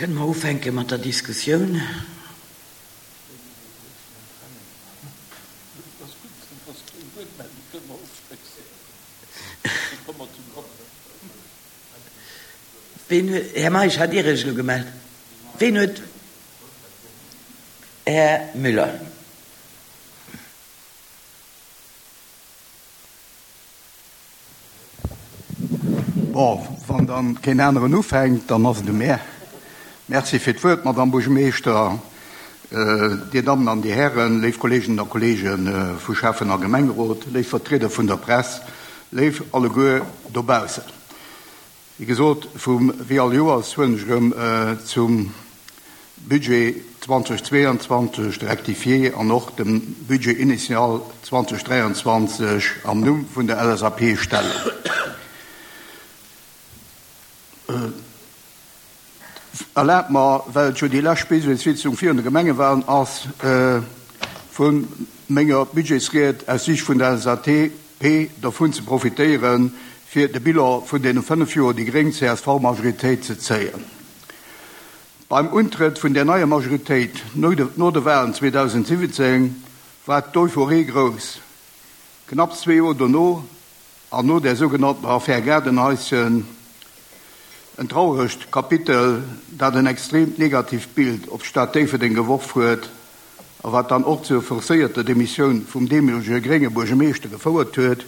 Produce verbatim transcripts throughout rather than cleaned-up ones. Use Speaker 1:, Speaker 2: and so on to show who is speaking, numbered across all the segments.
Speaker 1: Kënne mer ufänke mat der Diskussioun? Ween huet, Här Meisch, hat Dir Iech elo gemellt? Ween huet, Här Müller.
Speaker 2: Bon, wann dann keen aneren ufänkt, dann ass et u mär. Merci fir d'Wuert, Madame Buergermeeschter, Dir Dammen an Dir Hären, léif Kolleeginnen a Kolleege vu Schäffen a Gemengerot, léif Vertrieder vun der Press, léif alleguer dobaussen. Wéi gesot, vum, wéi all Joers huelen ech erëm zum Budget zweitausendzweiundzwanzig, de Rectifié an och dem Budget initial zweitausenddräiundzwanzig am Numm vun der L S A P Stellung. Erlaabt mer, well et jo déi lescht Budgetssitzung virun de Gemengewahlen ass, vun menger Budgetsried aus Sicht vun der L S A P dovun ze profitéieren, fir de Bilan vun deene fënnef Joer déi gréng C S V-Majoritéit ze zéien. Beim Untrëtt vun der neier Majoritéit no de, no de Wahlen zweitausendsiwwenzéng war d'Euphorie grouss. Knapp zwee Joer dono an no der sougenannten Affär Gaardenhaischen, en trauregt Kapitel, dat en extremt negatiivt Bild op d'Stad Déifferdeng geworf huet a wat dann och zur forcéierter Demissioun vum deemolege grénge Buergermeeschter gefouert huet,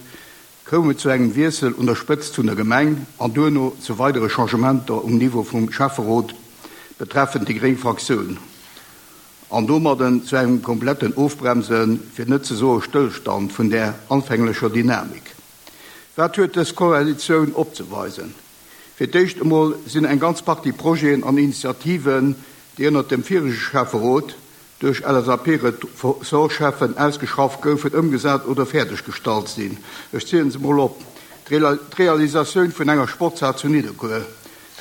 Speaker 2: koum et zu engem Wiessel un der Spëtzt vun der Gemeng an duerno zu weidere Changementer um Niveau vum Schäfferot betreffend déi gréng Fraktioun an domadden zu engem kompletten Ofbremsen, fir net ze soe Stëllstand vun der anfänglecher Dynamik. Wat huet dës Koalitioun opzeweisen? Fir d'éischt emol sinn eng ganz Partie Projeten an Initiativen, déi ënner dem virege Schäfferot duerch L S A P-Ressortcheffen ausgeschafft goufen, ëmgesat oder fäerdeggestallt sinn. Ech zielen se mol op. D'Realisatioun vun enger Sportshal zu Nidderkuer,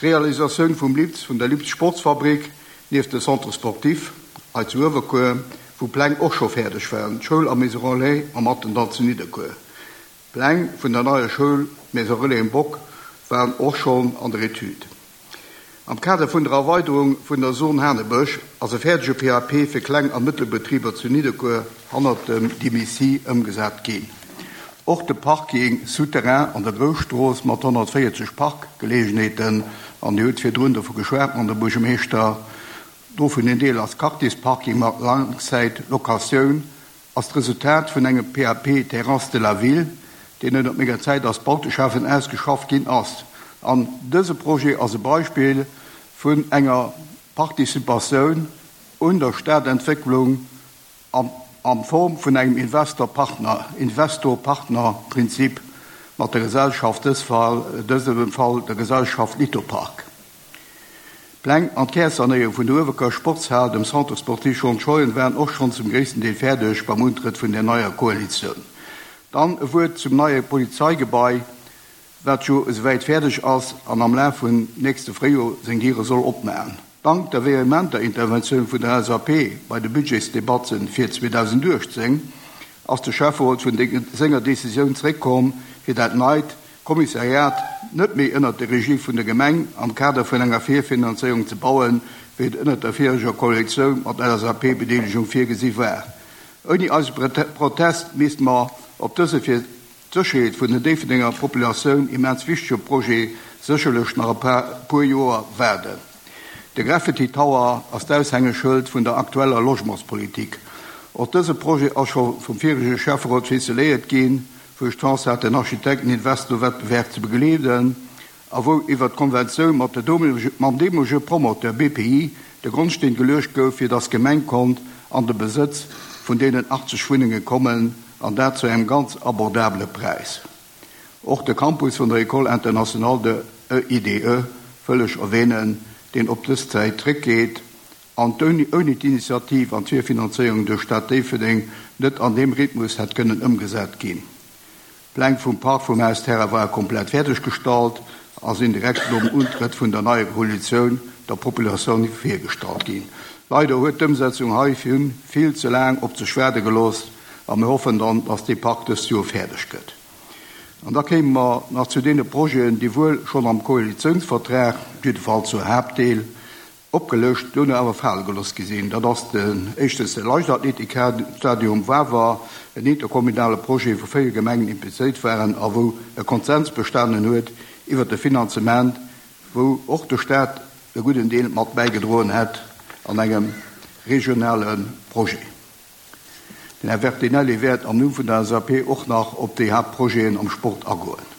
Speaker 2: d'Realisatioun vum Lips, vun der Lips Sportsfabrik nieft dem Centre sportif hei zu Uewerkuer, wou Pläng och scho fäerdeg waren, d'Schoul a Maison Relais am Attendall zu Nidderkuer. Pläng vun der neier Schoul Maison Relais im Bock waren och schonn an der Etüd. Am Kader vun der Erweiterung vun der Zone Hanebësch ass e fäerdege P A P fir Kleng- a Mëttelbetriber zu Nidderkuer hannert dem Dimissi ëmgesat ginn. Och de Parking souterrain an der Grousstrooss mat honnertvéierzeg Parkgelegenheeten, an Dir hutt virdrun dovu geschwat mat dem Buergermeeschter, dovun en Deel ass Quartiersparking mat Langzeitlokatioun, ass d'Resultat vun engem P A P Terrasse de la Ville, deen ënner menger Zäit als Bauteschäffen ausgeschafft ginn ass. An dëse Projet ass e Beispill vun enger Participatioun un der Stadentwécklung am, am Form vun engem Investor-Partner, Investor-Partner-Prinzip mat der Gesellschaft, dës Fall, dësem Fall der Gesellschaft Litopark. Pläng an d'Kärsanéierung vun der Uewerkuer Sportshal, dem Centre sportif Jean Schoyen, waren och schonn zum gréissten Deel fäerdeg beim Untrëtt vun der neier Koalitioun. Dann e Wuert zum neie Polizeigebai, wat jo esouwäit fäerdeg ass an am Laf vun nächste Fréijoer seng Diere soll opmachen. Dank der vehementer Interventioun vun der L S A P bei de Budgetsdebatten fir zweitausendachtzehn ass de Schäfferot vun de-, senger Decisioun zréckkomm, fir dat neit Kommissariat net méi ënner der Regie vun der Gemeng am Kader vun enger Virfinanzéierung ze bauen, wéi et ënner der viriger Koalitioun mat L S A P-Bedeelegung virgesi war. Ouni eise Prete-, Protest misst mer op dëse fir d'Sécherheet vun der Déifferdenger Populatioun immens wichtege Projet sécherlech nach e paar, puer Joer waarden. De Graffiti Tower ass d'Aushängeschëld vun der aktueller Logementspolitik. Och dëse Projet ass scho vum virige Schäfferot ficeléiert ginn, wou ech d'Chance hat, den Architekten-Investor-Wettbewerb ze begleeden a wou iwwer d'Konventioun mat der deemolege, mam deemolege Promoteur B P I de Grondsteen geluecht gouf, fir dass d'Gemeng konnt an de Besëtz vun deenen achtzeg Wunnenge kommen, an dat zu engem ganz abordabele Preis. Och de Campus vun der École internationale de E I D E wëll ech erwähnen, deen op dës Zäit zréckgeet an d'ouni, ouni d'Initiativ an d'Virfinanzéierung duerch Stad Déifferdeng net an dem Rhythmus hätt kënnen ëmgesat ginn. Pläng vum Park vum Haus Terra war komplett fäerdeggestallt a sinn direkt nom Untrëtt vun der neier Koalitioun der Populatioun virgestallt ginn. Leider huet d'Ëmsetzung hei vill, vill ze laang op sech waarde gelooss a mir hoffen dann, dass dee Park dëst Joer fäerdeg gëtt. An da kéime mer nach zu deene Projeten, déi wuel schonn am Koalitiounsvertrag, jiddefalls zu Haaptdeel, opgelëscht, duerno awer fale gelooss gi sinn. Dat ass den éischtens de Leichtathletikstadion um Wawer, en interkommunale Projet, wou véier Gemengen implizéiert waren a wou e Konsens bestanen huet iwwert de Finanzement, wou och de Staat e gudden Deel mat bäigedroen hätt an engem regionale Projet. Den Här Bertinelli wäert am Numm vun der L S A P och nach op déi Haaptprojeten am Sport agoen.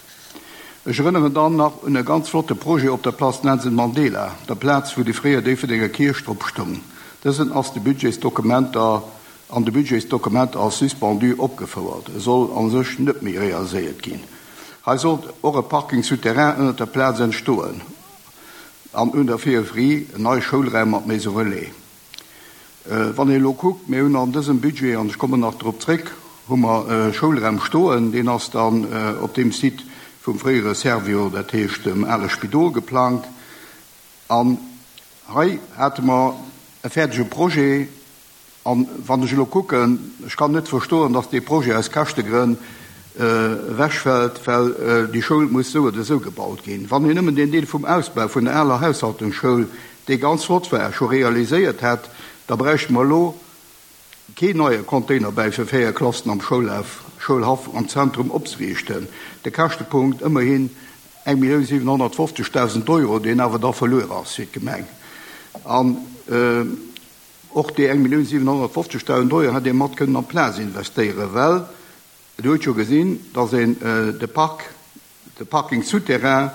Speaker 2: Ech erënneren dann nach un e ganz flotte Projet op der Place Nelson Mandela, der Plaz, wou déi fréier Déifferdenger Kierch drop stoung. Dësen ass de Budgetsdokumenter an de Budgetsdokumenter als suspendu opgefouert. E soll an sech net méi realiséiert ginn. Hei sollt och e Parking souterrain ënner der Plaz entstoen. An un der Périphérie en neie Schoulraum mat Maison Relais. Äh, wann een elo kuckt, mir hunn an dësem Budget, an ech kommen nach drop zréck, hu mer äh, Schoulraum stoen, deen ass dann äh, op deem Site vum fréiere Servior, dat heescht dem ale Spidol geplangt. An hei hate mer e fäerdege Projet, an wann ech elo kucken, ech kann net verstoen, dass dee Projet aus Käschtegrënn äh, ewechfält, well äh, déi Schoul muss sou oder sou gebaut ginn. Wann een nëmmen den Deel vum Ausbau vun der aler Haushaltungsschoul, dee ganz flott war, scho realiséiert hätt, da bräichte mer elo keen neie Containerbau fir véier Klassen am Schoulhaff, Schoulhaff am Zentrum opzeriichten. De Käschtepunkt ëmmerhin eng Millioun siwenhonnertfofzegdausend Euro, deen awer da verluer ass fir d'Gemeng. An äh, och déi eng Millioun siwenhonnertfofzegdausend Euro hätt ee mat kënnen an d'Plaz investéieren, well du huet scho gesinn, dass een äh, de Park, de Parking souterrain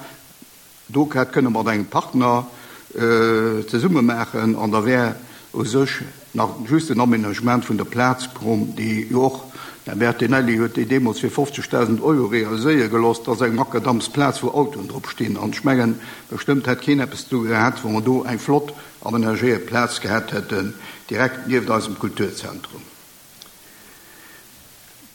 Speaker 2: do hätt kënne mat engem Partner äh, zesumme maachen an da wär u sech nach just den Aménagement vun der Plaz komm, déi jo och de Bertinelli huet déi deemools fir fofzegdausend Euro realiséiere gelooss, dass eng Makadamsplaz, wou Autoen drop stinn. An ech mengen, bestëmmt hätt keen eppes do gehat, wou mer do eng flott amenagéiert Plaz gehat hätten, direkt nieft eisem Kulturzentrum.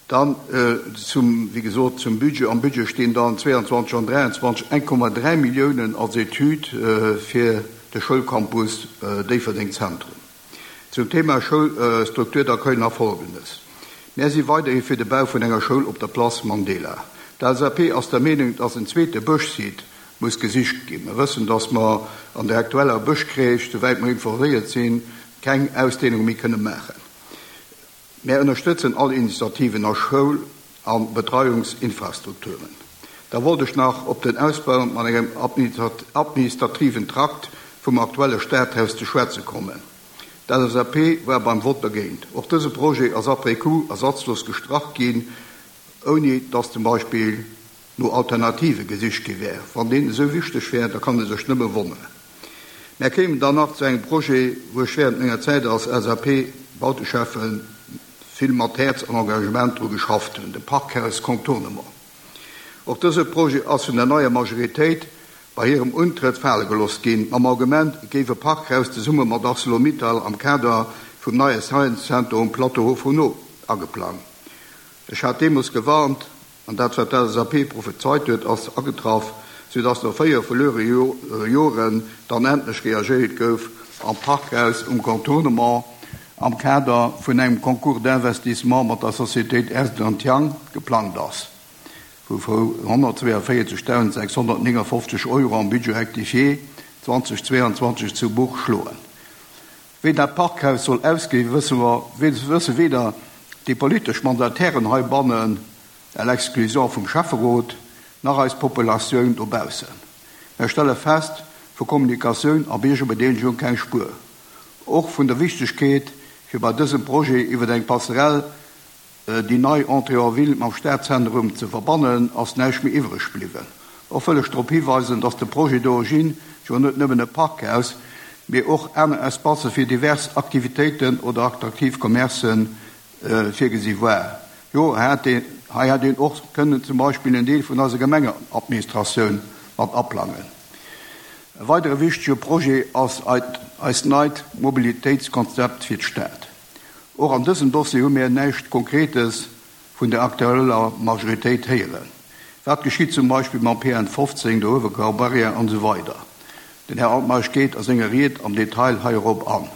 Speaker 2: Dann äh, zum, wéi gesot, zum Budget. Am Budget stinn dann zwéianzwanzeg an dräianzwanzeg eng Komma dräi Milliounen als Etüd äh, fir de Schoulcampus äh, Déifferdeng Zentrum. Zum Thema Schoulstruktur d'accueil nach Folgendes. Mir si weiderhi fir de Bau vun enger Schoul op der Place Mandela. D'L S A P ass der Meenung, dass en zweete Bëschsite muss gesicht ginn. Mir wëssen, dass mer an der aktueller Bëschcrèche, souwäit mer informéiert sinn, keng Ausdehnung méi kënne maachen. Mir ënnerstëtzen all Initiativen a Schoul- a Betreiungsinfrastrukturen. Da wollt ech nach op den Ausbau mat engem administrativen Trakt vum aktuelle Stadhaus ze schwätze kommen. D'L S A P war beim Vott dogéint. Och dëse Projet ass après coup ersatzlos gestrach ginn, ouni dass zum Beispill no Alternative gesicht gi wär. Wann deen esou wichteg wär, da kann ee sech nëmme wonneren. Mir kéimen dann nach zu engem Projet, wou ech wärend menger Zäit als L S A P-Bauteschäffen vill mat Häerz an Engagement dru geschafft hunn, de Parkhaus Contournement. Och dëse Projet ass vun der neier Majoritéit bei hirem Untrëtt fale gelooss ginn, mam Argument, et géif e Parkhaus zesumme mat ArcelorMittal am Kader vum neie Science Center um Plateau Haut-Fourneau ageplangt. Ech hat deemools gewarnt, an dat, wat d'L S A P prophezeit huet, ass agetraff, soudass no véier verluere Joren dann endlech reagéiert gouf am Parkhaus um Contournement am Kader vun engem Concours d'investissement mat der Société Ernst and Young geplangt ass, wou honnertzweeënvéierzegdausendsechshonnertnéngefofzeg Euro am Budget rectifié zweedausendzwéianzwanzeg zu Buch schloen. Wéi dat Parkhaus soll ausgesinn, wësse mer, wësse weder déi politesch Mandatairen heibannen, à l'exclusion vum Schäfferot, nach eis Populatioun dobaussen. Mir stelle fest, vu Kommunikatioun a Biergerbedeelegung keng Spuer. Och vun der Wichtegkeet, fir bei dësem Projet iwwer eng Passerelle déi nei Entrée en ville mam Stadzentrum ze verbannen, ass näischt méi iwwereg bliwwen. Och wëll ech drop hiweisen, dass de Projet d'origine jo net nëmmen e Parkhaus, mee och aner Espacë fir divers Aktivitéiten oder attraktiv Commercen virgesi war. Jo, hei hätt een och kënnen zum Beispill en Deel vun eiser Gemengenadministratioun mat aplangen. E weidere wichtege Projet ass eist neit Mobilitéitskonzept fir d'Stad. Och an dësem Dossier hu mir näischt Konkretes vun der aktueller Majoritéit héieren. Wat geschitt zum Beispill mam P N fofzéng, der Uewerkuer Barrière an esou weider? Den Här Altmeisch geet a senger Ried am Detail heirop an.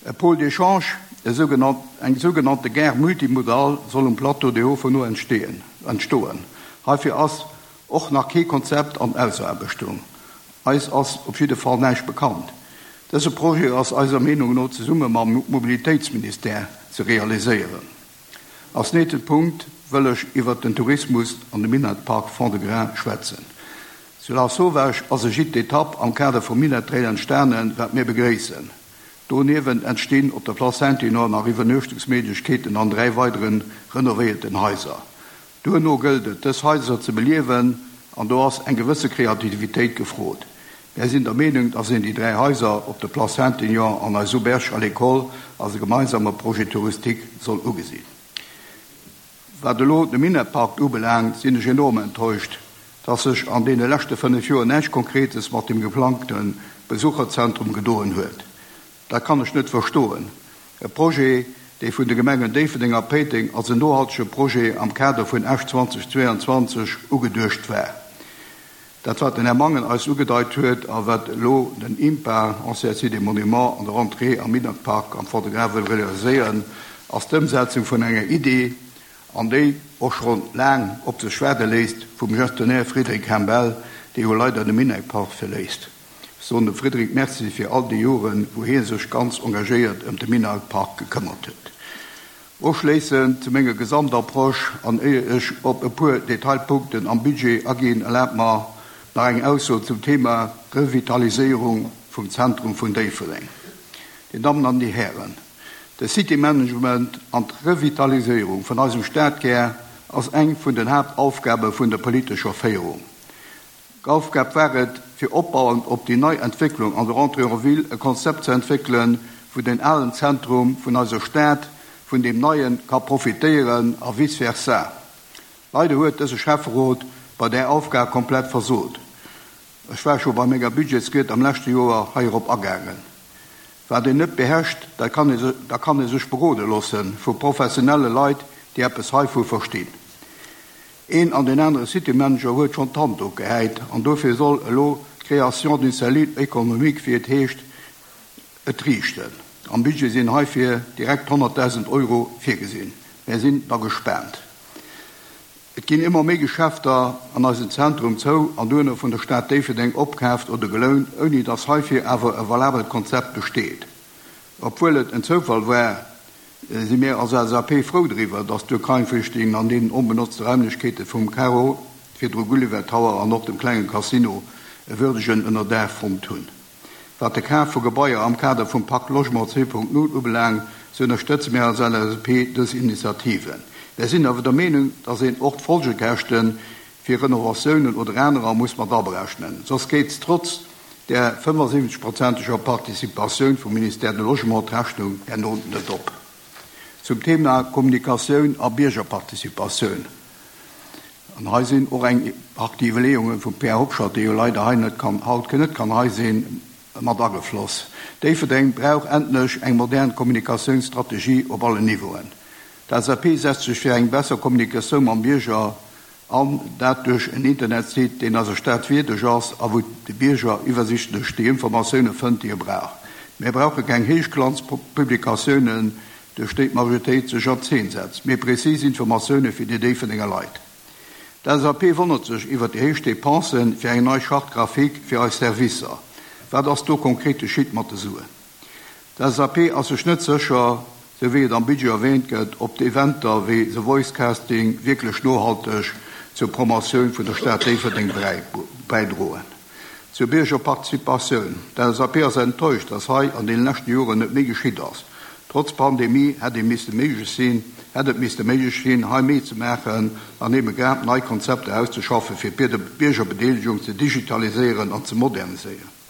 Speaker 2: E Pôle d'échange, eng sougenannte Gare multimodale, soll um Plateau de Haut-Fourneau entstoen. Heifir ass och nach kee Konzept an Ausaarbechtung. Eis ass op jidde Fall näischt bekannt. Dëse Projet ass eiser Meenung no zesumme mam Mobilitéitsministère ze realiséieren. Als nächste Punkt wëll ech iwwer den Tourismus an de Minett-Park Fond-de-Gras schwätzen. Zu Lasauvage ass e Gîte d'étape am Kader vum Minett Trail entstanen, wat mir begréissen. Doniewent entstinn op der Place Saint-Honoré nach Iwwernuechtungsméiglechkeeten an dräi weidere renovéierten Haiser. Duerno gëllt et, dës Haiser ze beliewen, an do ass eng gewësse Kreativitéit gefrot. Mir sinn der Meenung, dass een déi dräi Haiser op der Place Saint-Honoré an eis Auberge à l'école als e gemeinsame Projet touristique soll ugesinn. Wat elo de Minett-Park ubelaangt, sinn ech enorm enttäuscht, dass sech an deene leschte fënnef Joer näischt Konkretes mat dem geplangte Besucherzentrum gedoen huet. Dat kann ech net verstoen. E Projet, dee vun de Gemengen Déifferdeng a Péiteng als en nohaltege Projet am Kader vun Esch zweitausendzweiundzwanzeg ugeduecht war. Dat wat den Här Mangen eis ugedeit huet a wat elo den IMPA, Ancien Site des Monuments, an der Rentrée am Minett-Park am Fond-de-Gras wëll realiséieren, ass d'Ëmsetzung vun enger Idee, an déi och scho laang op sech waarde léisst, vum Gestionnaire Frédéric Hembel, dee jo leider de Minett-Park verléisst. Ech soen dem Frédéric Merci fir all déi Joren, wou hie sech ganz engagéiert ëm de Minett-Park gekëmmert huet. Ofschléissend zu menger Gesamtapproche an éier ech op e puer Detailpunkten am Budget aginn, erlaabt mer nach eng Ausso zum Thema Revitaliséierung vum Zentrum vun Déifferdeng. Dir Dammen an Dir Hären, de City Management an d'Revitaliséierung vun eisem Stadkär ass eng vun den Haaptaufgabe vun der politescher Féierung. D'Aufgab war et, fir opbauend op déi nei Entwécklung an der Entrée en ville e Konzept ze entwéckelen, wou den alen Zentrum vun eiser Stad vun deem neie ka profitéieren a vice versa. Leider huet dëse Schäfferot bei där Aufgab komplett versot. Ech war scho bei menger Budgetsried am leschte Joer heirop agaangen. Wat een net beherrscht, da kann ee da kann ee sech berode loosse vu professionelle Leit, déi eppes heivu verstinn. Een an deen anere City Manager huet schonn d'Hand opgehäit an dofir soll elo d'Création d'une cellule économique, wéi et heescht, et riichten. Am Budget sinn heifir direkt honnertdausend Euro virgesinn. Mir sinn da gespaant. Et ginn ëmmer méi Geschäfter an eisem Zentrum zou an duerno vun der Stad Déifferdeng opkaaft oder gelount, ouni dass heifir awer e valabelt Konzept besteet. Obwuel et en Zoufall war, si mir als L S A P frou driwwer, dass d'Ukrain-Flüchtlingen an deenen onbenotzte Raimlechkeete vum Caro, virdru Gulliver Tower an och dem klenge Casino e würdegen Ënnerdaach fonnt hunn. Wat de Kaf vu Gebaier am Kader vum Pakt Logement zwee Punkt null ubelaangt, sou ënnerstëtze mir als L S A P dës Initiativen. Mir sinn awer der Meenung, dass een och d'Folgekäschte fir Renovatiounen oder anerer muss mat aberechnen. Soss geet trotz der fënnefasiwwenzeg-prozenteger Participatioun vum Ministère du Logement d'Rechnung herno net op. Zum Thema Kommunikatioun a Biergerparticipatioun. An hei sinn och eng Partie Iwwerleeunge vum Pierre Hobscheit, dee jo leider hei net kann, haut net kann hei sinn, mat agefloss. Déifferdeng brauch endlech eng modern Kommunikatiounsstrategie op allen Niveauen. D'L S A P setzt sech fir eng besser Kommunikatioun mam Bierger an, dat duerch en Internetsite, deen eiser Stad wierdeg ass a wou de Bierger iwwersiichtlech déi Informatioune fënnt, déi e brauch. Mir brauche keng Héichglanzpublikatiounen, duerch déi d'Majoritéit sech an Zeen setzt, mee prezis Informatioune fir déi Déifferdenger Leit. D'L S A P wonnert sech iwwer déi héich Depense fir eng nei Charte graphique fir eis Servicer. Wat ass do konkret geschitt mat de Suen? D'L S A P ass sech net sécher, sou wéi et am Budget erwäänt gëtt, ob d'Eventer wéi The Voice Casting wierklech nohalteg zur Promotioun vun der Stad Déifferdeng bäidroen. Zur Biergerparticipatioun. D'L S A P ass enttäuscht, dass hei an deene leschte Joren net méi geschitt ass. Trotz Pandemie hätt ee misste méiglech sinn, hätt et misste méiglech sinn, hei méi ze maachen an ebe grad nei Konzepter auszeschaffen, fir d'Biergerbedeelegung ze digitaliséieren an ze moderniséieren.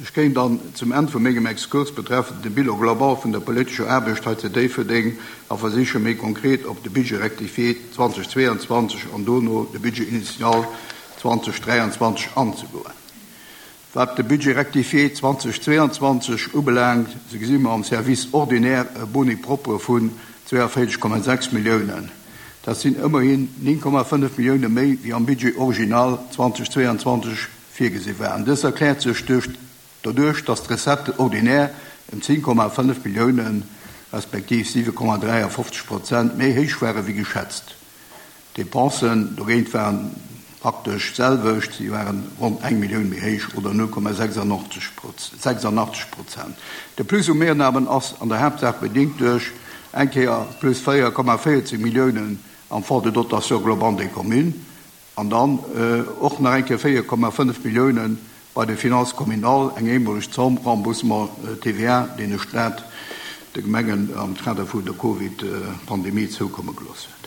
Speaker 2: Ech kéim dann zum Enn vu mengem Exkurs betreffend de Bilan global vun der politescher Aarbecht hei zu Déifferdeng a versiche méi konkret op de Budget rectifié zweitausendzweiundzwanzeg an dono de Budget initial zweitausenddräianzwanzeg anzegoen. Wat de Budget rectifié zweitausendzweiundzwanzeg ubelaangt, sou gesi mer am Service ordinaire e Boni propre vun zweiundvéierzeg Komma sechs Milliounen. Dat sinn ëmmerhin néng Komma fënnef Millioune méi wéi am Budget original zweitausendzweiundzwanzeg virgesi waren. Dës erkläert sech duerch doduerch, dass d'Recettes ordinaires ëm zéng Komma fënnef Milliounen, respektiv siwe Komma dräiafofzeg Prozent méi héich ware wéi geschätzt. D'Depensen dogéint waren praktesch d'selwecht, si waren ronn eng Millioun méi héich oder null Komma sechsundachtzeg Prozent. De Plus u Mehrnahmen ass an der Haaptsaach bedingt duerch eng Kéier plus véier Komma véierzeg Milliounen am Fonds de dotation globale des communes an dann och nach eng Kéier véier Komma fënnef Milliounen bei de Finances communales, eng eemoleg Zomm Remboursement T V A, deen de Staat de Gemengen am Kader vun der Covid-Pandemie zoukomme gelooss huet.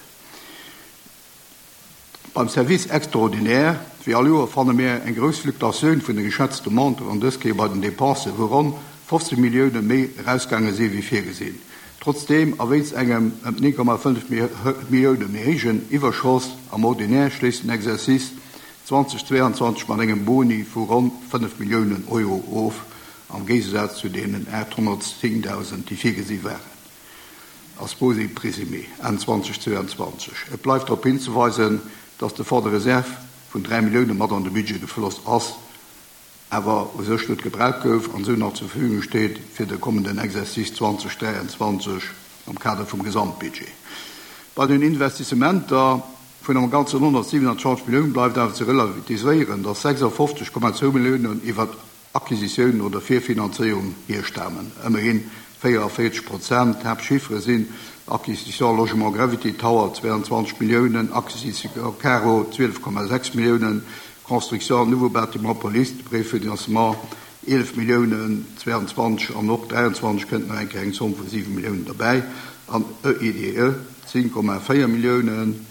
Speaker 2: Beim Service extraordinaire, wéi all Joer, fanne mir eng grouss Fluktuatioun vun de geschätzte Montanten an dës Kéier bei den Dépensen, wou ronn fofzeg Millioune méi erausgaange si wéi virgesinn. Trotzdem a wéinst engem ëm néng Komma fënnef Millioune méi héijen Iwwerschoss am Ordinaire schléisst den Exercice zweitausendzweiundzwanzig mat engem Boni vu ronn fënnef Milliounen Euro of, am Géigesaz zu deenen achthunnertzéntausend, déi virgesi waren. Als Boni présumé Enn zweitausendzweiundzwanzig. Et bleift darauf hinzuweisen, dass de Fonds de Réserve vun dräi Millioune mat an de Budget gefloss ass, awer u sech net gebraucht gouf an sou nach zur Verfügung steet fir de kommenden Exercice zweitausenddreiundzwanzig am Kader vum Gesamtbudget. Bei den Investissementer vun am ganzen hundertsiewenundzwanzig Milliounen bleift awer ze relativiséieren, dass sechsundfünfzig Komma zwei Milliounen iwwer Acquisitiounen oder Virfinanzéierung hierstamen. Ëmmerhin vierundvierzig Prozent. Hauptchiffre sinn Acquisition Logement Gravity Tower zweiundzwanzig Milliounen, Acquisition Caro zwölf Komma sechs Milliounen, Construction Nouveau Bâtiment Police, Préfinancement elf Milliounen, zweiundzwanzig an och dreiundzwanzig kënnt nach eng eng Zomm vu sieben Milliounen dabei, an E I D E zehn Komma vier Milliounen,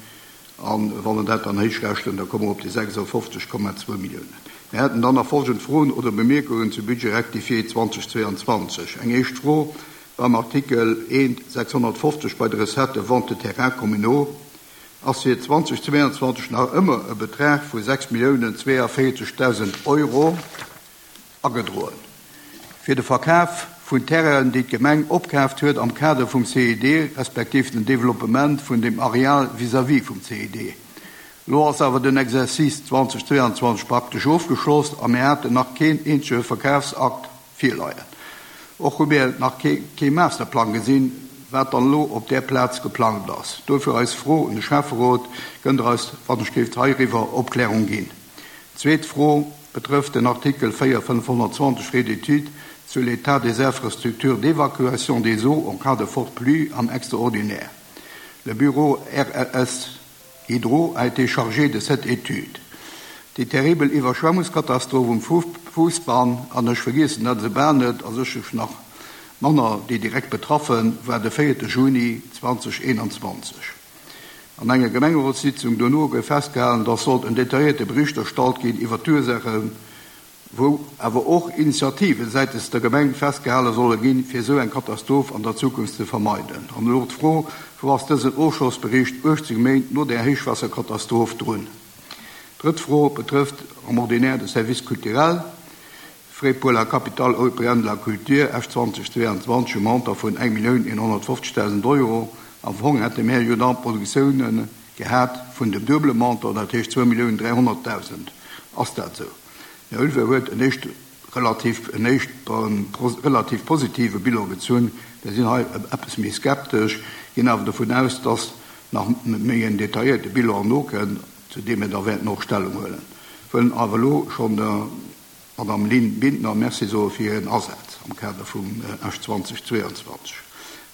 Speaker 2: an wann wir dat dann héichrechnen, da kommen wir op die sechsundfünfzig Komma zwei Milliounen. Wir hätten dann nach folgende Fragen oder Bemerkungen zu Budget rectifié zweitausendzweiundzwanzig. Eng éischt Fro beim Artikel eins sechshundertfünfzig bei der Recette Vente de Terrain communaux ass fir zweitausendzweiundzwanzig nach ëmmer e Betrag vu sechs Milliounen zweiundvierzigtausend Euro agedroen. Fir de Verkauf vun Terrainen, déi d'Gemeng opkaaft huet am Kader vum C I D, respektiv den Developpement vun dem Areal vis-à-vis vum C I D. Lo ass awer den Exercice zweitausendzweiundzwanzig praktesch ofgeschloss a mir haten nach keen eenzege Verkaufsakt virleien. Och hu mir nach ke-, kee Masterplan gesinn, wat dann lo op der Plaz geplant ass. Dofir eis froh un de Schäfferot kënnt der eis wann ech géif heiriwwer Opklärung ginn. Zweet Fro betrifft den Artikel vier fünfhundertzwanzig Frais d'étude sur l'état des infrastructures d'évacuation des eaux en cas de forte pluie en extraordinaire. Le bureau R L S Hydro a été chargé de cette étude. Die terrible Überschwemmungskatastrophe um Fu-, Fußbahn an der vergessen hat sie beendet, also ich nach Männer, die direkt betroffen, war der vierte Juni zweitausendeinundzwanzig. An enger Gemeinderatssitzung danach gouf festgehalten, dass sollte ein detaillierter Bericht erstellt gehen über die Ursachen, wo aber auch Initiativen seitens der Gemeinde festgehalten sollen gehen, für so eine Katastrophe an der Zukunft zu vermeiden. Und Lord froh, wo was diesen Ausschussbericht achtzig Gemeinde nur der Hochwasserkatastrophe drin. Dritte Frage betrifft am Ordinaire de Service culturel. Frais pour la capitale européenne de la culture F zweitausendzweiundzwanzig im Montant von eine Million hundertfünfzigtausend Euro. Am Fond hätte mehr Jordan Produktionen gehabt von dem doublen Montant, das heißt zwei Millionen dreihunderttausend. Ist das so? Herr Ulver wird ein nicht relativ, ein nicht, ähm, pos-, relativ positive Bild gezogen. Wir sind halt etwas mehr skeptisch, gehen aber davon aus, dass nach mehr detaillierte Bilder noch können, zu dem wir da werden noch Stellung holen. Wollen aber lo schon der Madame Lynn Bindner merci so für ihren Einsatz am Kader vom, äh, F zweitausendzweiundzwanzig.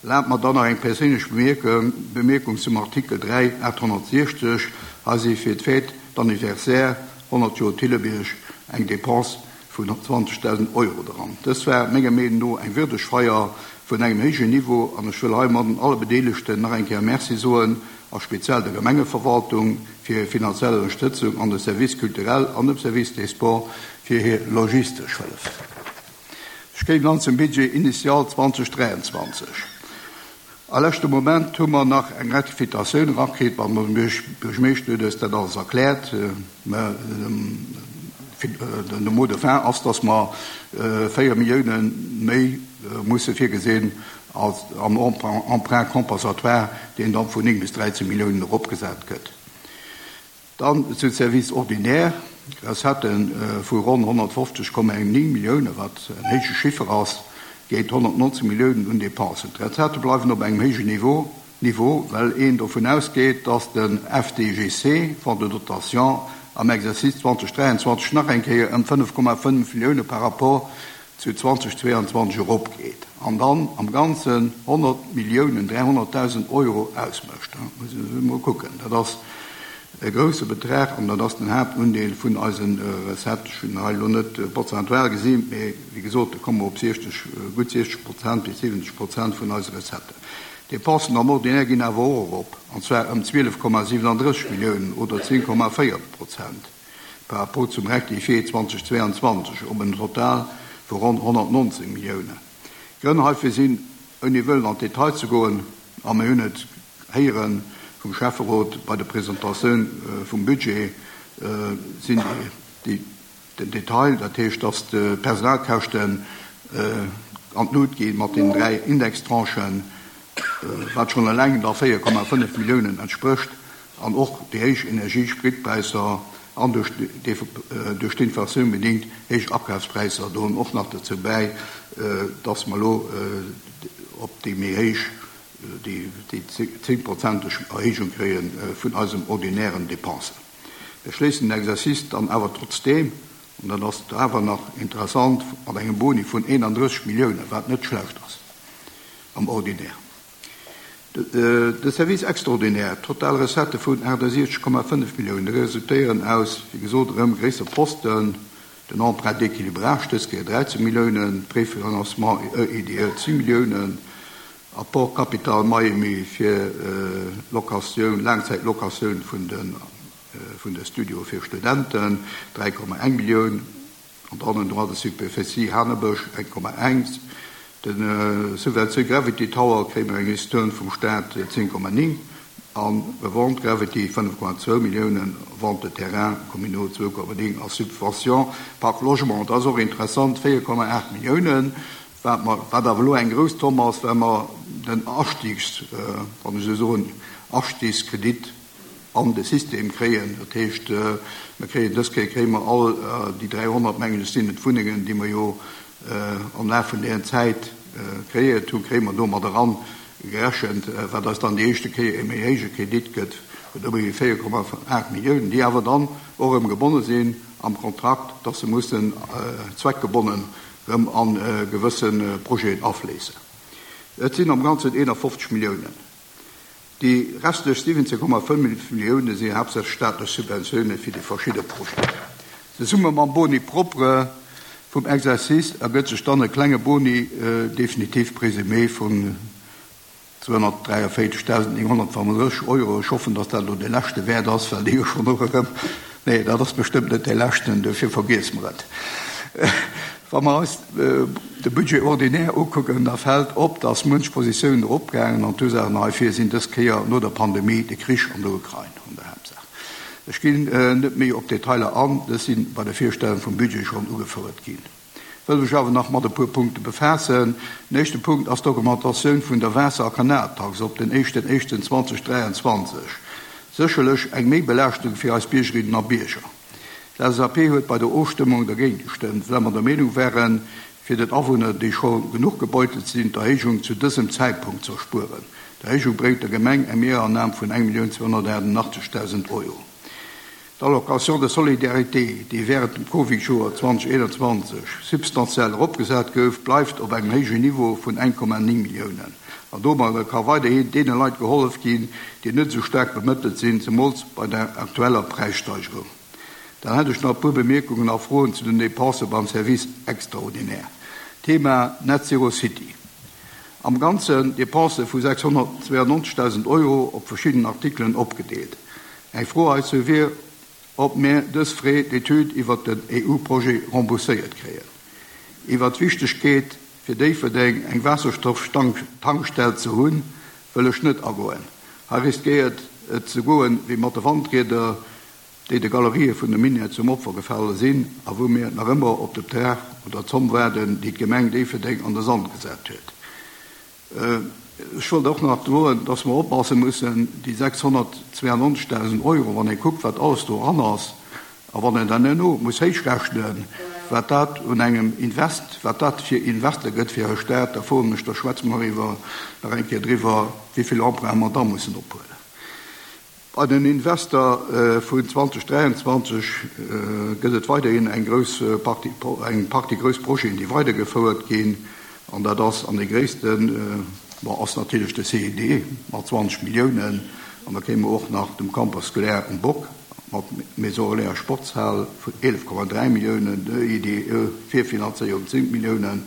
Speaker 2: Lernt man dann noch eine persönliche Bemerkung, Bemerkung zum Artikel drei, achthundertsechzig, also für die Fête d'Anniversaire hundert Jahre Thilleberg eng Dépense von zwanzigtausend Euro dran. Das war menger Meinung nach ein würdig Feier von einem höheren Niveau an der Schule Heimat alle Beteiligten nach ein Kehr Merci soen, auch speziell der Gemeindeverwaltung für ihre finanzielle Unterstützung an den Service culturel, an dem Service des Sports für ihre logistische Hilfe. Ich gehe dann zum Budget initial zweitausenddreiundzwanzig. Am letzten Moment haben wir nach einer Ratifikation rausgekriegt, weil man Bürgermeister das dann alles erklärt. Äh, man, ähm, äh, der Mot de fin ist, dass wir, äh, vier Millionen mehr, äh, müssen vorgesehen als am Emprunt, Emprunt compensatoire, den dann von neun bis dreizehn Millionen abgesetzt wird. Dann zum Service ordinaire. Das hat ein, äh, von rund hundertfünfzig Komma neun Millionen, was ein höchster Schiffer ist, geht hundertneunzig Millionen und Dépensen. Die Rezepte bleiben auf einem höheren Niveau, Niveau, weil een davon ausgeht, dass den F D G C, Fonds de Dotation, am Exercice zweitausenddreiundzwanzig nach eng Kéier ëm fënnef Komma fënnef Millioune par rapport zu zweitausendzweiundzwanzig eropgeet. An dann am Ganzen honnert Milliounen dräihonnerttausend Euro ausmécht. Da muss ich mal gucken. Dat ass e grousse Betrag an dat ass den Haaptundeel vun eisen Recetten. Ech hunn hei elo net prozentual gesinn, mee wéi gesot, da komme mer op siechzeg, gutt siechzeg Prozent bis siwwenzeg Prozent vun eise Recetten. Dépensen am Ordinaire ginn awer och erop, an zwar ëm zwielef Komma siewenunddrësseg Milliounen oder zéng Komma véier Prozent par rapport zum Rectifié zweitausendzweiundzwanzig op en Total vu ronn honnertneunzehn Milliounen. Grënn heifir sinn, ouni wëllen an Detail ze goen, a mir hunn et héieren vum Schäfferot bei der Presentatioun vum Budget, sinn déi, den Detail, dat heescht, dass de Personalkäschten an d'Lut ginn mat den dräi Indextranchen, wat schon eleng da véier Komma fënnef Milliounen entsprécht, an och déi héich Energiespritpräisser an duerch duerch d'Inflatioun bedingt héich Akafspräisser droen och nach dazu bäi, dass mer elo op déi méi héich, déi, déi zéngprozenteg Erhéijung kréien vun eisem ordinären Dépensen. Wir schléissen den Exercice dann awer trotzdem, an dat ass awer nach interessant, mat engem Boni vun einunddrësseg Milliounen, wat net schlecht ass am Ordinaire. De, de Service extraordinaire, total Recette vun achtundsechzeg Komma fënnef Milliounen resultéieren aus, wéi gesot, erëm gréisser Posten, den Emprunt d'équilibrage, dës Kéier dreizehn Milliounen, Préfinancement E I D E zehn Milliounen, Apport Capital Miami fir, äh, Locatioun, Langzeitlocatioun vun den, äh, vun de Studio fir Studenten, dräi Komma eng Millioun, an dann en Droit de superficie Hanebësch eng Komma eins, den, äh, Subvention Gravity Tower kréie mer eng Ristourne vum Staat zehn Komma ning, an Revente Gravity fënnef Komma zwou Milliounen, Vente de terrain communaux zwou Komma ning a Subvention Parc Logement, dat ass och interessant, véier Komma acht Milliounen, wat mer, wat awer elo eng grouss Zomm ass, well mer den Astiegs, äh, wann ech so soen, Astiegskredit an de System kréien. Dat heescht, äh, mir kréien dës Kéier kréie mer all, äh, déi dräihonnert, mengen ech, sinn et Wunnengen, déi mer jo, äh, am Laf vun der Zäit, äh, kreéiert hunn, kréie mer domat eran gerechent, äh, wat eis dann déi éischte Kéier e méi héije Kredit gëtt, vun ëmmer véier Komma acht Milliounen, déi awer dann och erëm gebonne sinn am Kontrakt, dass se mussen, äh, zweckgebonnen erëm an, äh, gewëssen, äh, Projeten afléissen. Et sinn am Ganzen einundfünfzig Milliounen. Déi restlech siwwenzehn Komma fënnef Milliounen sinn haaptsächlech staatlech Subventiounen fir déi verschidde Projeten. Zesumme mam Boni propre vum Exercice ergëtt sech dann e klenge Boni, äh, definitiv présumé vun zweihundertdräiundvierzigtausendneunhundertfünfunddreißig Euro. Ich hoffe, dass dat elo de leschte Wäert ass, well déi jo schon noch erëm. Nee, dat ass bestimmt net de leschten, dofir vergiess mer et. Wa mer eis, äh, de Budget ordinaire ugucken, da fällt op, dass munch Positiounen eropgaangen an d'Ursachen heifir sinn dës Kéier no der Pandemie de Krich an der Ukrain an der Hauptsache. Ech ginn, äh, net méi op Detailer an, das sinn bei der Virstellung vum Budget schon ugefouert ginn. Wëll ech awer nach mat e puer Punkte befaassen. Den éischte Punkt ass d'Augmentatioun vun der Waasser- a Kanaltax op den éischten éischten zweitausenddreiundzwanzig. Sécherlech eng Méibelaaschtung fir eis Biergerinnen a Bierger. D'L S A P huet bei der Ofstëmmung dagéint gestëmmt, well mer der Meenung wären, fir den Awunner, déi scho genuch gebeutelt sinn, d'Erhéijung zu dësem Zeitpunkt ze erspueren. D'Erhéijung bréngt der Gemeng eng Mehrannahme vun eng Millioun zweihundertachtundachtzigtausend Euro. D'Allocation de solidarité, déi während dem Covid-Joer zweitausendeinundzwanzig substantiell eropgesat gouf, bleift op engem héijen Niveau vun eng Komma ning Milliounen. An domat ka weiderhin deene Leit gehollef ginn, déi net so stark bemëttelt sinn, zemools bei der aktueller Preissteigerung. Dann hätte ich noch ein paar Bemerkungen a Froen zu den Dépensen beim Service extraordinaire. Thema Net Zero City. Am Ganzen Dépense vu sechshundertzweiundneunzigtausend Euro op verschiedenen Artikelen opgedeelt. Eng Fro heizou wier, ob mir dës Frais d'étude iwwer den E U-Projet rembourséiert kréien. Iwwer d'Wichtigkeet fir Déifferdeng eng Wasserstofftankstell ze hunn, wëll ech net agoen. Hei riskéiert et ze goen, wéi mat de Wandrieder, déi de Galerië vun de Minier zum Opfer gefallen sinn, a wou mir nach ëmmer op de Betrag oder Zomm waarden, déi d'Gemeng Déifferdeng an de Sand gesat huet. Äh, ech wollt och nach droen, dass wir oppassen müssen, die sechshundertzweiundneunzigtausend Euro, wann ee guckt, wat alles do ran ass, a wann een dann herno muss héichrechnen, wat dat un engem Invest, wat dat fir Investor gëtt fir e Staat, da froen ech, da schwätzen wir iwwer, nach eng Kéier driwwer, wéi vill Emprunt mer da mussen ophuelen. Bei den Investor äh, vun zweitausenddräiundzwanzeg äh, gëtt et weiterhin eng grouss Partie, eng Partie grouss Projeten, déi weidergefouert ginn. An dat ass an de gréissten äh, ass natierlech de C I D mat zwanzeg Milliounen. An da kéime mer och nach dem Campus scolaire um Bock mat Maison Relais a Sportshal vun eelef Komma dräi Milliounen, de I D E Virfinanzéierung zéng Milliounen,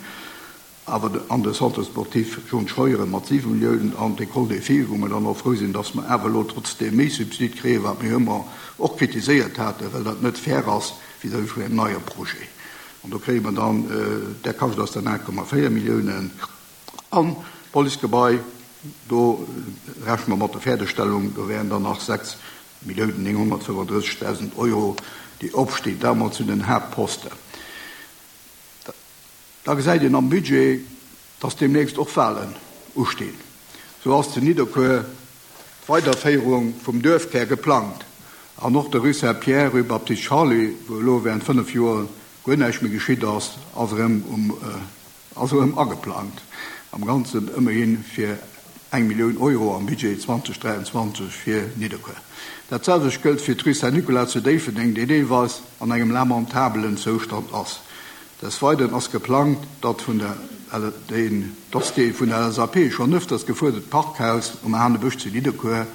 Speaker 2: awer an de Centre sportif John Scheuren mat siwe Milliounen an d'École des filles, wou mer dann och frou sinn, dass mer awer elo trotzdeem méi Subsid kréien, wat mir ëmmer och kritiséiert haten, well dat net fair ass vis-à-vis vun engem neie Projet. An do kréie mer dann, äh, der kascht ass dann aacht Komma véier Milliounen. An Policegebai, do rechne mer mat der Fäerdegstellung, do wären dann nach sechs Milliounen nénghonnertfënnefandrëssegdausend Euro, déi opstinn, dat mol zu den Haaptposten. Da gesäit een am Budget, dass deemnächst och Walen ustinn. Sou ass zu Nidderkuer d'Weiderféierung vum Duerfkär geplangt an och der Rue Saint-Pierre, Rue Baptiste Charly, wou elo wärend fënnef Joer guer näischt méi geschitt ass, ass erëm um ass erëm ageplangt. Am Ganzen ëmmerhi fir eng Millioun Euro am Budget zweitausenddräiundzwanzeg fir Nidderkuer. Dat selwecht gëllt fir d'Rue Saint-Nicolas zu Déifferdeng, déi deelweis an engem lamentabelen Zoustand ass. Des Weideren ass geplangt, datt vun der den dass dee vun der L S A P schonn ëfters gefuerdert Parkhaus um Hanebësch zu Nidderkuer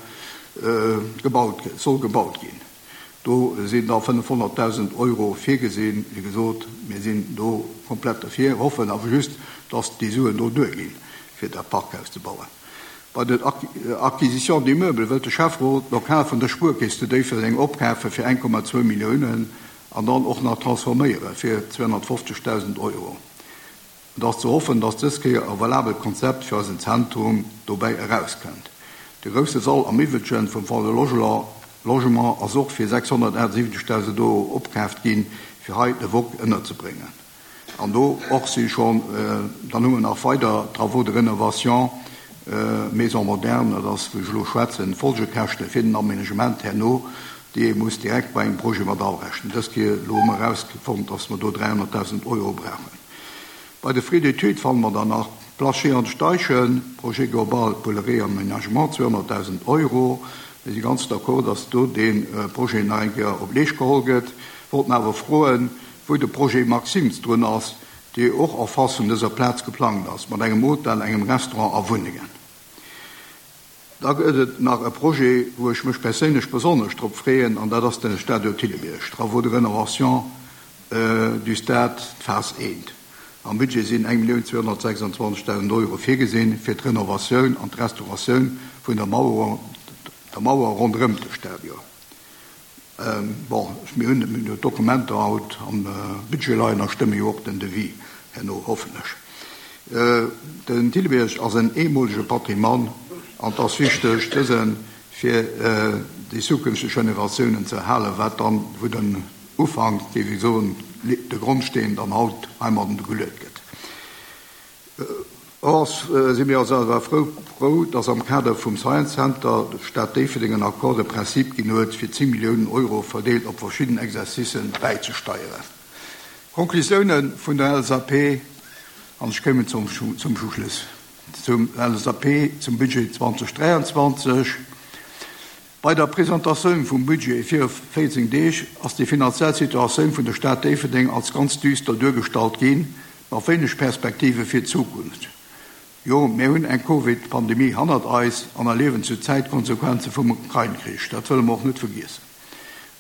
Speaker 2: gebaut soll gebaut ginn. Do sinn da fënnefhonnertdausend Euro virgesinn. Wéi gesot, mir sinn do komplett derfir, hoffen awer just, dass déi Suen do duerginn, fir dat Parkhaus ze bauen. Bei den Acquisitions d'immeubles wëllt de Schäfferot d'Lokal vun der Spuerkeess zu Déifferdeng opkafe fir eng Komma zwou Milliounen an dann och nach transforméiere fir zweehonnertfofzegdausend Euro. Et ass ze hoffen, dass dës Kéier e valabelt Konzept fir eisen Zentrum dobäi erauskënnt. De grousse Sall am Iwwelchen vum Fonds de Logement ass och fir sechshonnertaachtsiwwenzegdausend Euro opkaaft ginn, fir hei de Wok ënnerzebréngen. An do och si schonn, dann hu mer nach weider Travaux de rénovation Maison moderne, dat ass, wou ech elo schwätzen, Folgekäschte fir den Aménagement herno, déi ee muss direkt bei engem Projet mat arechnen. Dës Kéier elo hu mer erausfonnt, dass mer do dräihonnertdausend Euro brauchen. Bei de Frais d'études fanne mer dann nach Place Jehan Steichen, Projet global pour le réaménagement, zweehonnertdausend Euro. Mir si ganz d'accord, dass do dee Projet nach eng Kéier op Leescht geholl gëtt. Wollten awer froen, wou de Projet Maxims drun ass, dee och en face vun dëser Plaz geplangt ass, mat engem Hotel, engem Restaurant a Wunnengen. Da gëtt et nach e Projet, wou ech mech perséinlech besonnesch drop freeën, an dat ass de Stadion Thillebierg, Travaux de rénovation du stade Phase eent. Am Budget sinn eng Millioun zweehonnertsechsanzwanzegdausend Euro virgesinn fir d'Renovatioun an d'Restauratioun vun der Mauer, der Mauer ronderëm de Stadion. Bon, mir hunn d'Dokumenter haut am Budget leien a stëmme jo och den Devis herno, hoffen ech. Den Thillebierg ass en eemolege Patrimoine an et ass wichteg, dëse fir déi zukünfteg Generatiounen ze erhalen, wat dann, wou den Ufank, géif ech soen, de Grondsteen dann haut heimadden geluecht gëtt. Och si mir also awer frou, frou, dass am Kader vum Science Center d'Stad Déifferdeng en Accord de principe ginn huet, fir zéng Milliounen Euro verdeelt op verschidden Exercicen bäizesteieren. Conclusioune vun der L S A P, an ech kéimen zum, zum Schluss, zum L S A P zum Budget zweitausenddräiundzwanzeg. Bei der Presentatioun vum Budget viru véierzéng Deeg ass déi finanziell Situatioun vun der Stad Déifferdeng als ganz düster duergestallt ginn, mat wéineg Perspektive fir d'Zukunft. Jo, mir hunn eng Covid-Pandemie hannert eis an erliewen zur Zäit d'Konsequenze vum Ukrain-Krich. Dat wëlle mer och net vergiessen.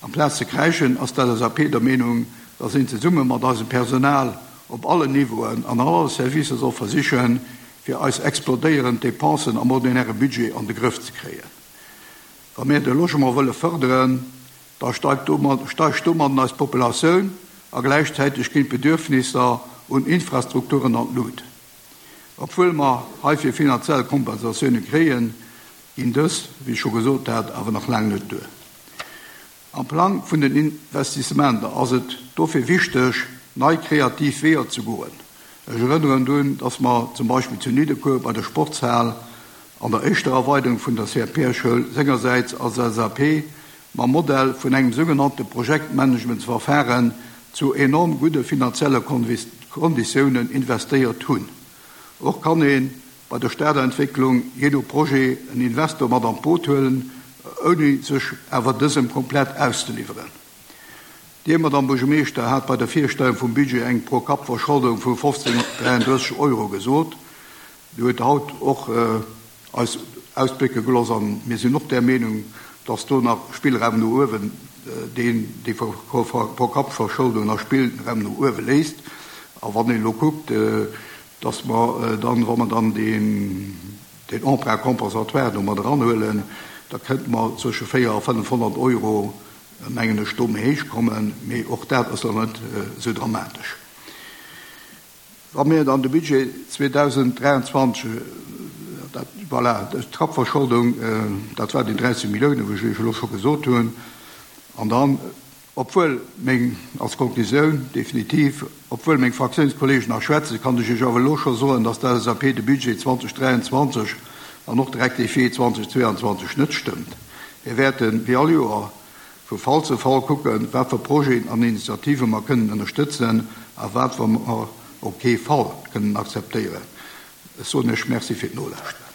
Speaker 2: Amplaz ze kräischen, ass d'L S A P der Meenung, dass een zesumme mat eisem Personal op allen Niveauen an alle Servicer soll versichen, fir eis explodéierend Depensen am ordinäre Budget an de Grëff ze kréien. Wa mir de Logement wëlle fërderen, da steigt domadden eis Populatioun a gläichzäiteg ginn d'Bedürfnisser un Infrastrukturen an d'Lut. Obwuel mer heifir finanziell Kompensatioune kréien, ginn dës, wéi ech scho gesot hat, awer nach laang net duer. Am Plang vun den Investissementer ass et dofir wichteg, nei kreativ Weeër ze goen. Ech erënneren drun, dass mer zum Beispill zu Nidderkuer bei der Sportshal an der éischter Erweiderung vun der C R P-Schoul sengersäits als L S A P mam Modell vun engem sougenannte Projektmanagementsverfahren zu enorm gudde finanzielle Konditiounen investéiert hunn. Och kann ee bei der Stadentwécklung jee no Projet en Investor mat an d'Boot huelen, ouni sech awer dësem komplett auszeliwweren. Dir, Madame Buergermeeschter, hat bei der Virstellung vum Budget eng Pro-Kapp-Verscholdung vu fofzénhunnertdräianddrësseg Euro gesot. Dir huet haut och eis ausblécke gelooss, a mir sinn och där Meenung, dass do nach Spillraum no uewen, deen déi Pro-Kapp-Verscholdung nach Spillraum no uewe léisst. A wann een elo kuckt, dass mer dann, wa mer dann deen Emprunt compensatoire do mat eranhuelen, da kënnte mer zwësche véier a fënnefhonnert Euro, mengen ech, do méi héich kommen. Mee och dat ass dann net esou dramatesch. Wa mir dann de Budget zweedausenddräiandzwanzeg, dat, voilà, d'Kappverscholdung, dat war déi dräizéng Milliounen, wou ech Iech elo scho gesot hunn, an dann, obwuel meng, als Konklusioun definitiv, obwuel meng Fraktiounskollegen nach schwätzen, kann ech Iech awer elo scho soen, dass d'L S A P de Budget zweedausenddräiandzwanzeg an och de Rectifié zweedausendzweiandzwanzeg net stëmmt. Mir wäerten, wéi all Joer, vu Fall zu Fall kucken, wat fir Projeten an Initiative mer kënnen ënnerstëtzen a wat mer op kee Fall kënnen akzeptéieren. Ech soen Iech Merci fir d'Nolauschteren.